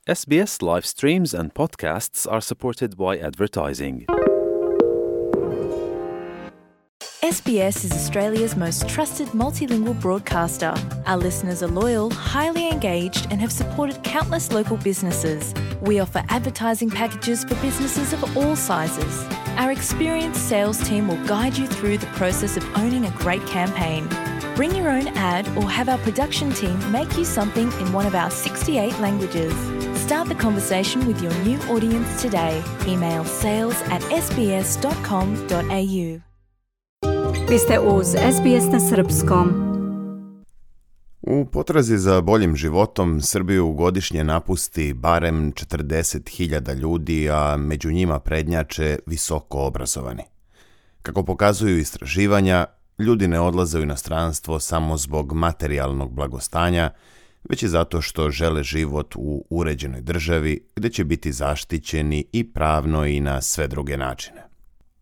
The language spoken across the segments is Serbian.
SBS live streams and podcasts are supported by advertising. SBS is Australia's most trusted multilingual broadcaster. Our listeners are loyal, highly engaged, and have supported countless local businesses. We offer advertising packages for businesses of all sizes. Our experienced sales team will guide you through the process of owning a great campaign. Bring your own ad or have our production team make you something in one of our 68 languages. Start the conversation with your new audience today. Email sales@sbs.com.au. Vi ste uz SBS na srpskom. U potrazi za boljim životom Srbiju godišnje napusti barem 40.000 ljudi, a među njima prednjače visoko obrazovani. Kako pokazuju istraživanja, ljudi ne odlaze u inostranstvo samo zbog materijalnog blagostanja, već i zato što žele život u uređenoj državi gdje će biti zaštićeni i pravno i na sve druge načine.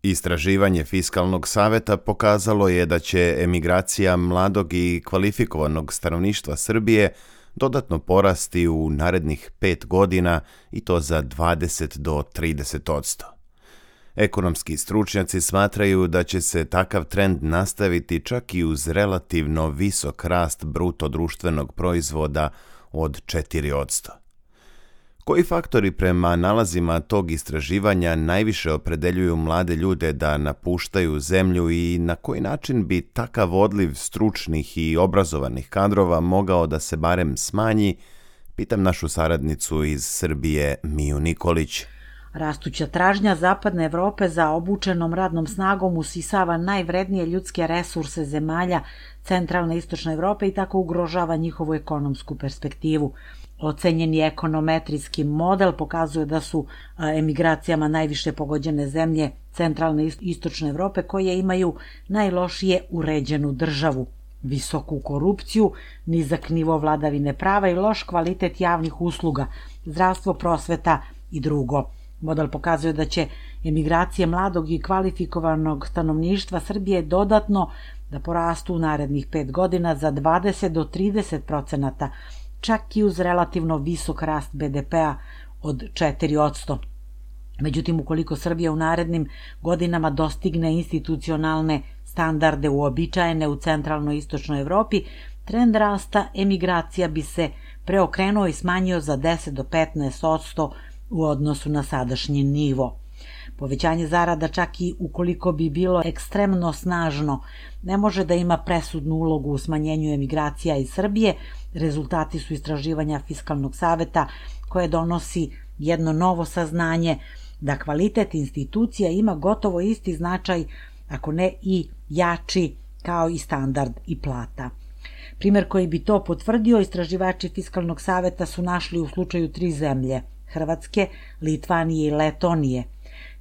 Istraživanje Fiskalnog saveta pokazalo je da će emigracija mladog i kvalifikovanog stanovništva Srbije dodatno porasti u narednih 5 godina i to za 20 do 30%. Ekonomski stručnjaci smatraju da će se takav trend nastaviti čak i uz relativno visok rast bruto društvenog proizvoda od 4%. Koji faktori prema nalazima tog istraživanja najviše opredeljuju mlade ljude da napuštaju zemlju i na koji način bi takav odliv stručnih i obrazovanih kadrova mogao da se barem smanji, pitam našu saradnicu iz Srbije Miju Nikolić. Rastuća tražnja Zapadne Evrope za obučenom radnom snagom usisava najvrednije ljudske resurse zemalja centralne i istočne Evrope i tako ugrožava njihovu ekonomsku perspektivu. Ocenjeni ekonometrijski model pokazuje da su emigracijama najviše pogođene zemlje centralne i istočne Evrope koje imaju najlošije uređenu državu, visoku korupciju, nizak nivo vladavine prava i loš kvalitet javnih usluga, zdravstvo, prosveta i drugo. Model pokazuje da će emigracije mladog i kvalifikovanog stanovništva Srbije dodatno da porastu u narednih 5 godina za 20 do 30%, čak i uz relativno visok rast BDP-a od 4%. Međutim, ukoliko Srbija u narednim godinama dostigne institucionalne standarde uobičajene u centralnoj i istočnoj Evropi, trend rasta emigracija bi se preokrenuo i smanjio za 10 do 15% u odnosu na sadašnji nivo. Povećanje zarada, čak i ukoliko bi bilo ekstremno snažno, ne može da ima presudnu ulogu u smanjenju emigracija iz Srbije. Rezultati su istraživanja Fiskalnog saveta koje donosi jedno novo saznanje da kvalitet institucija ima gotovo isti značaj, ako ne i jači, kao i standard i plata. Primer koji bi to potvrdio, istraživači Fiskalnog saveta su našli u slučaju 3 zemlje, Hrvatske, Litvanije i Letonije,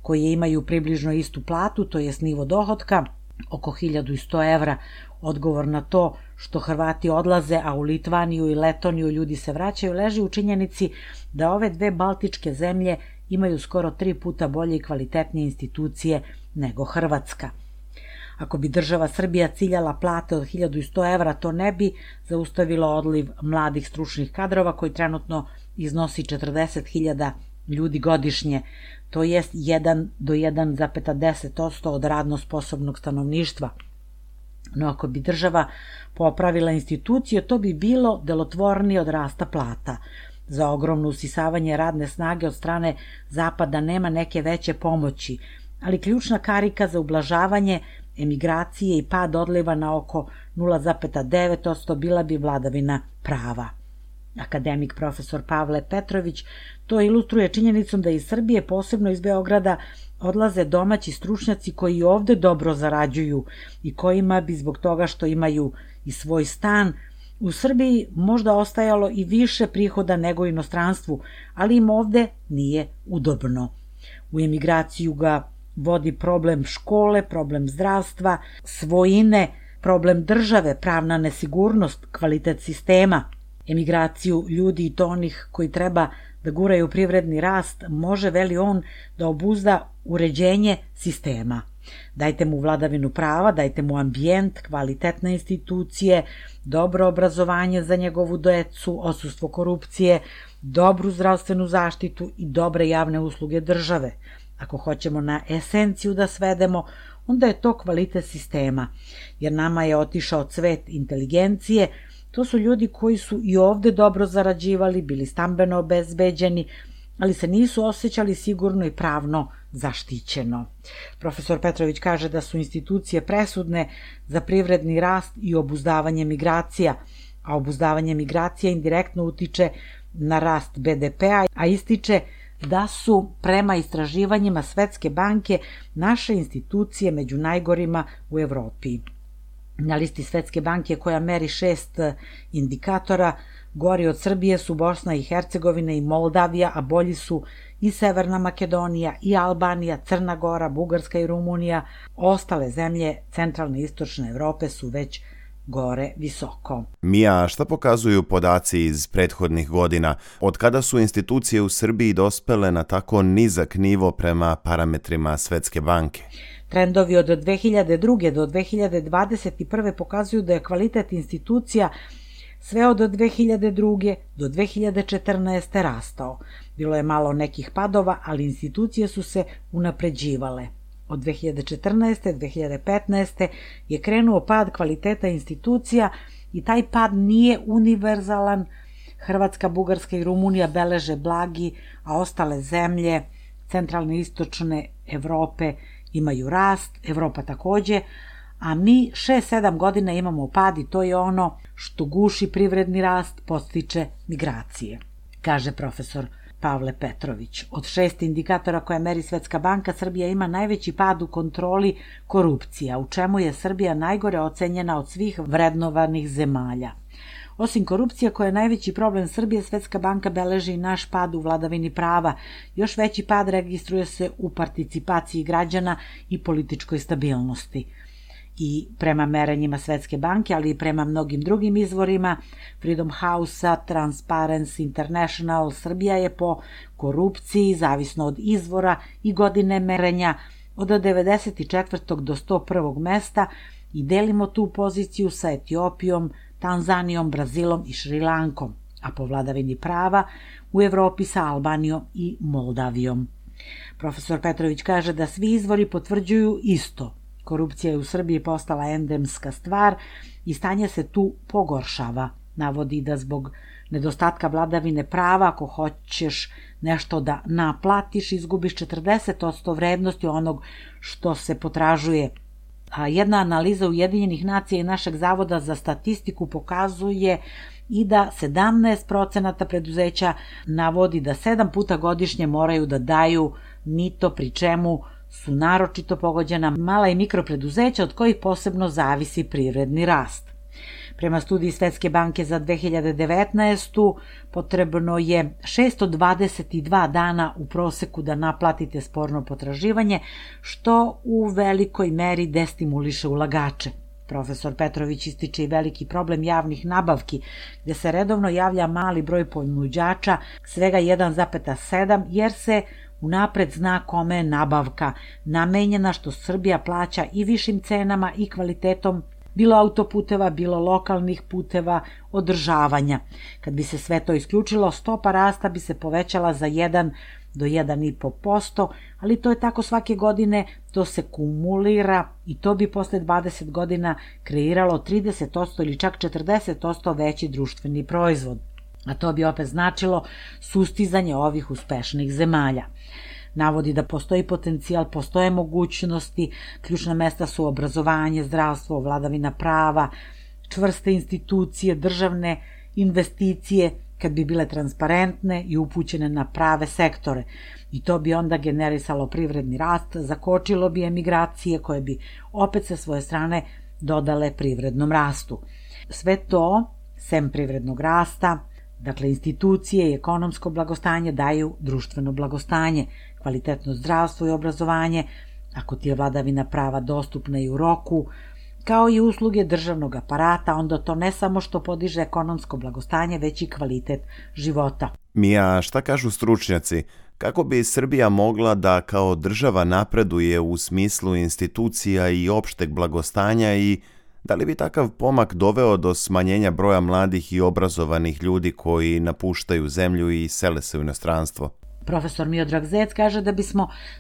koje imaju približno istu platu, to jest nivo dohotka, oko 1100 evra. Odgovor na to što Hrvati odlaze, a u Litvaniju i Letoniju ljudi se vraćaju, leži u činjenici da ove 2 baltičke zemlje imaju skoro 3 puta bolje i kvalitetnije institucije nego Hrvatska. Ako bi država Srbija ciljala plate od 1100 evra, to ne bi zaustavilo odliv mladih stručnih kadrova koji trenutno iznosi 40.000 ljudi godišnje, to jest 1 do 1,10% od radno sposobnog stanovništva. No ako bi država popravila institucije, to bi bilo delotvornije od rasta plata. Za ogromno usisavanje radne snage od strane Zapada nema neke veće pomoći, ali ključna karika za ublažavanje emigracije i pad odliva na oko 0,9% bila bi vladavina prava. Akademik profesor Pavle Petrović to ilustruje činjenicom da iz Srbije, posebno iz Beograda, odlaze domaći stručnjaci koji ovde dobro zarađuju i kojima bi zbog toga što imaju i svoj stan u Srbiji možda ostajalo i više prihoda nego u inostranstvu, ali im ovde nije udobno. U emigraciju ga vodi problem škole, problem zdravstva, svojine, problem države, pravna nesigurnost, kvalitet sistema. Emigraciju ljudi i to onih koji treba da guraju privredni rast može, veli on, da obuzda uređenje sistema. Dajte mu vladavinu prava, dajte mu ambijent, kvalitetne institucije, dobro obrazovanje za njegovu decu, odsustvo korupcije, dobru zdravstvenu zaštitu i dobre javne usluge države. Ako hoćemo na esenciju da svedemo, onda je to kvalitet sistema, jer nama je otišao cvet inteligencije. To su ljudi koji su i ovde dobro zarađivali, bili stambeno obezbeđeni, ali se nisu osjećali sigurno i pravno zaštićeno. Profesor Petrović kaže da su institucije presudne za privredni rast i obuzdavanje migracija, a obuzdavanje migracija indirektno utiče na rast BDP-a, a ističe da su prema istraživanjima Svetske banke naše institucije među najgorima u Evropi. Na listi Svetske banke, koja meri 6 indikatora, gori od Srbije su Bosna i Hercegovina i Moldavija, a bolji su i Severna Makedonija, i Albanija, Crna Gora, Bugarska i Rumunija. Ostale zemlje centralne i istočne Evrope su već gore visoko. Mija, šta pokazuju podaci iz prethodnih godina? Od kada su institucije u Srbiji dospele na tako nizak nivo prema parametrima Svetske banke? Trendovi od 2002. do 2021. pokazuju da je kvalitet institucija sve od 2002. do 2014. rastao. Bilo je malo nekih padova, ali institucije su se unapređivale. Od 2014. do 2015. je krenuo pad kvaliteta institucija i taj pad nije univerzalan. Hrvatska, Bugarska i Rumunija beleže blagi, a ostale zemlje centralne i istočne Evrope imaju rast, Evropa takođe, a mi 6-7 godina imamo pad i to je ono što guši privredni rast, podstiče migracije, kaže profesor Pavle Petrović. Od 6 indikatora koje meri Svetska banka, Srbija ima najveći pad u kontroli korupcija, u čemu je Srbija najgore ocenjena od svih vrednovanih zemalja. Osim korupcija, koja je najveći problem Srbije, Svetska banka beleži i naš pad u vladavini prava. Još veći pad registruje se u participaciji građana i političkoj stabilnosti. I prema merenjima Svetske banke, ali i prema mnogim drugim izvorima, Freedom House-a, Transparency International, Srbija je po korupciji, zavisno od izvora i godine merenja, od 94. do 101. mesta i delimo tu poziciju sa Etiopijom, Tanzanijom, Brazilom i Šrilankom, a po vladavini prava u Evropi sa Albanijom i Moldavijom. Profesor Petrović kaže da svi izvori potvrđuju isto. Korupcija je u Srbiji postala endemska stvar i stanje se tu pogoršava. Navodi da zbog nedostatka vladavine prava, ako hoćeš nešto da naplatiš, izgubiš 40% vrednosti onog što se potražuje. A jedna analiza Ujedinjenih nacija i našeg Zavoda za statistiku pokazuje i da 17% preduzeća navodi da 7 puta godišnje moraju da daju mito, pri čemu su naročito pogođena mala i mikropreduzeća od kojih posebno zavisi privredni rast. Prema studiji Svetske banke za 2019. potrebno je 622 dana u proseku da naplatite sporno potraživanje, što u velikoj meri destimuliše ulagače. Profesor Petrović ističe i veliki problem javnih nabavki, gde se redovno javlja mali broj ponuđača, svega 1,7, jer se unapred zna kome je nabavka namenjena, što Srbija plaća i višim cenama i kvalitetom bilo autoputeva, bilo lokalnih puteva, održavanja. Kad bi se sve to isključilo, stopa rasta bi se povećala za 1 do 1,5%, ali to je tako svake godine, to se kumulira i to bi posle 20 godina kreiralo 30% ili čak 40% veći društveni proizvod. A to bi opet značilo sustizanje ovih uspešnih zemalja. Navodi da postoji potencijal, postoje mogućnosti, ključna mesta su obrazovanje, zdravstvo, vladavina prava, čvrste institucije, državne investicije, kad bi bile transparentne i upućene na prave sektore. I to bi onda generisalo privredni rast, zakočilo bi emigracije koje bi opet sa svoje strane dodale privrednom rastu. Sve to, sem privrednog rasta, dakle, institucije i ekonomsko blagostanje daju društveno blagostanje, kvalitetno zdravstvo i obrazovanje, ako ti je vladavina prava dostupna i u roku, kao i usluge državnog aparata, onda to ne samo što podiže ekonomsko blagostanje, već i kvalitet života. Mija, šta kažu stručnjaci? Kako bi Srbija mogla da kao država napreduje u smislu institucija i opšteg blagostanja i da li bi takav pomak doveo do smanjenja broja mladih i obrazovanih ljudi koji napuštaju zemlju i sele se u inostranstvo? Profesor Miodrag Zec kaže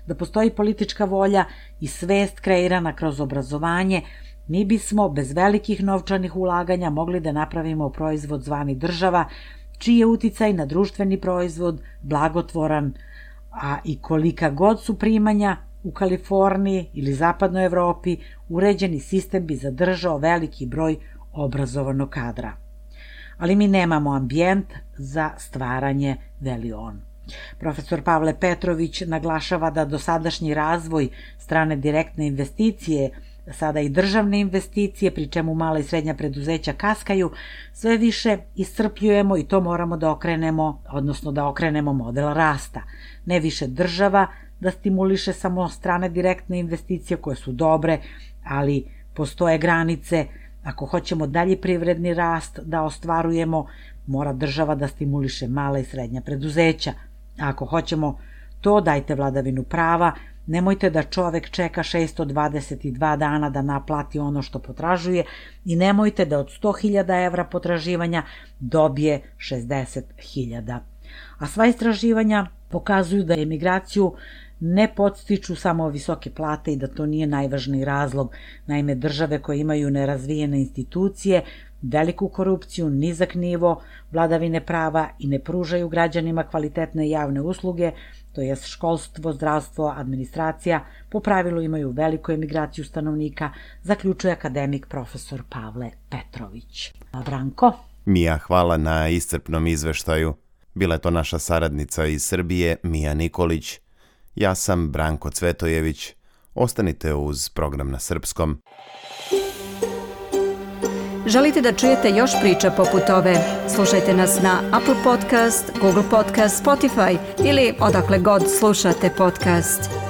da postoji politička volja i svest kreirana kroz obrazovanje, mi bismo bez velikih novčanih ulaganja mogli da napravimo proizvod zvani država, čiji je uticaj na društveni proizvod blagotvoran, a i kolika god su primanja u Kaliforniji ili zapadnoj Evropi, uređeni sistem bi zadržao veliki broj obrazovanog kadra. Ali mi nemamo ambijent za stvaranje, veli on. Profesor Pavle Petrović naglašava da dosadašnji razvoj strane direktne investicije, sada i državne investicije, pri čemu mala i srednja preduzeća kaskaju, sve više iscrpljujemo i to moramo da okrenemo model rasta. Ne više država da stimuliše samo strane direktne investicije koje su dobre, ali postoje granice. Ako hoćemo dalji privredni rast da ostvarujemo, mora država da stimuliše mala i srednja preduzeća. A ako hoćemo to, dajte vladavinu prava, nemojte da čovek čeka 622 dana da naplati ono što potražuje i nemojte da od 100.000 evra potraživanja dobije 60.000. A sva istraživanja pokazuju da emigraciju ne podstiču samo visoke plate i da to nije najvažniji razlog. Naime, države koje imaju nerazvijene institucije, veliku korupciju, nizak nivo vladavine prava i ne pružaju građanima kvalitetne javne usluge, to je školstvo, zdravstvo, administracija, po pravilu imaju veliku emigraciju stanovnika, zaključuje akademik profesor Pavle Petrović. Branko? Mija, hvala na iscrpnom izveštaju. Bila je to naša saradnica iz Srbije, Mija Nikolić. Ja sam Branko Cvetojević. Ostanite uz program na srpskom. Želite da čujete još priča poput ove? Slušajte nas na Apple Podcast, Google Podcast, Spotify ili odakle god slušate podcast.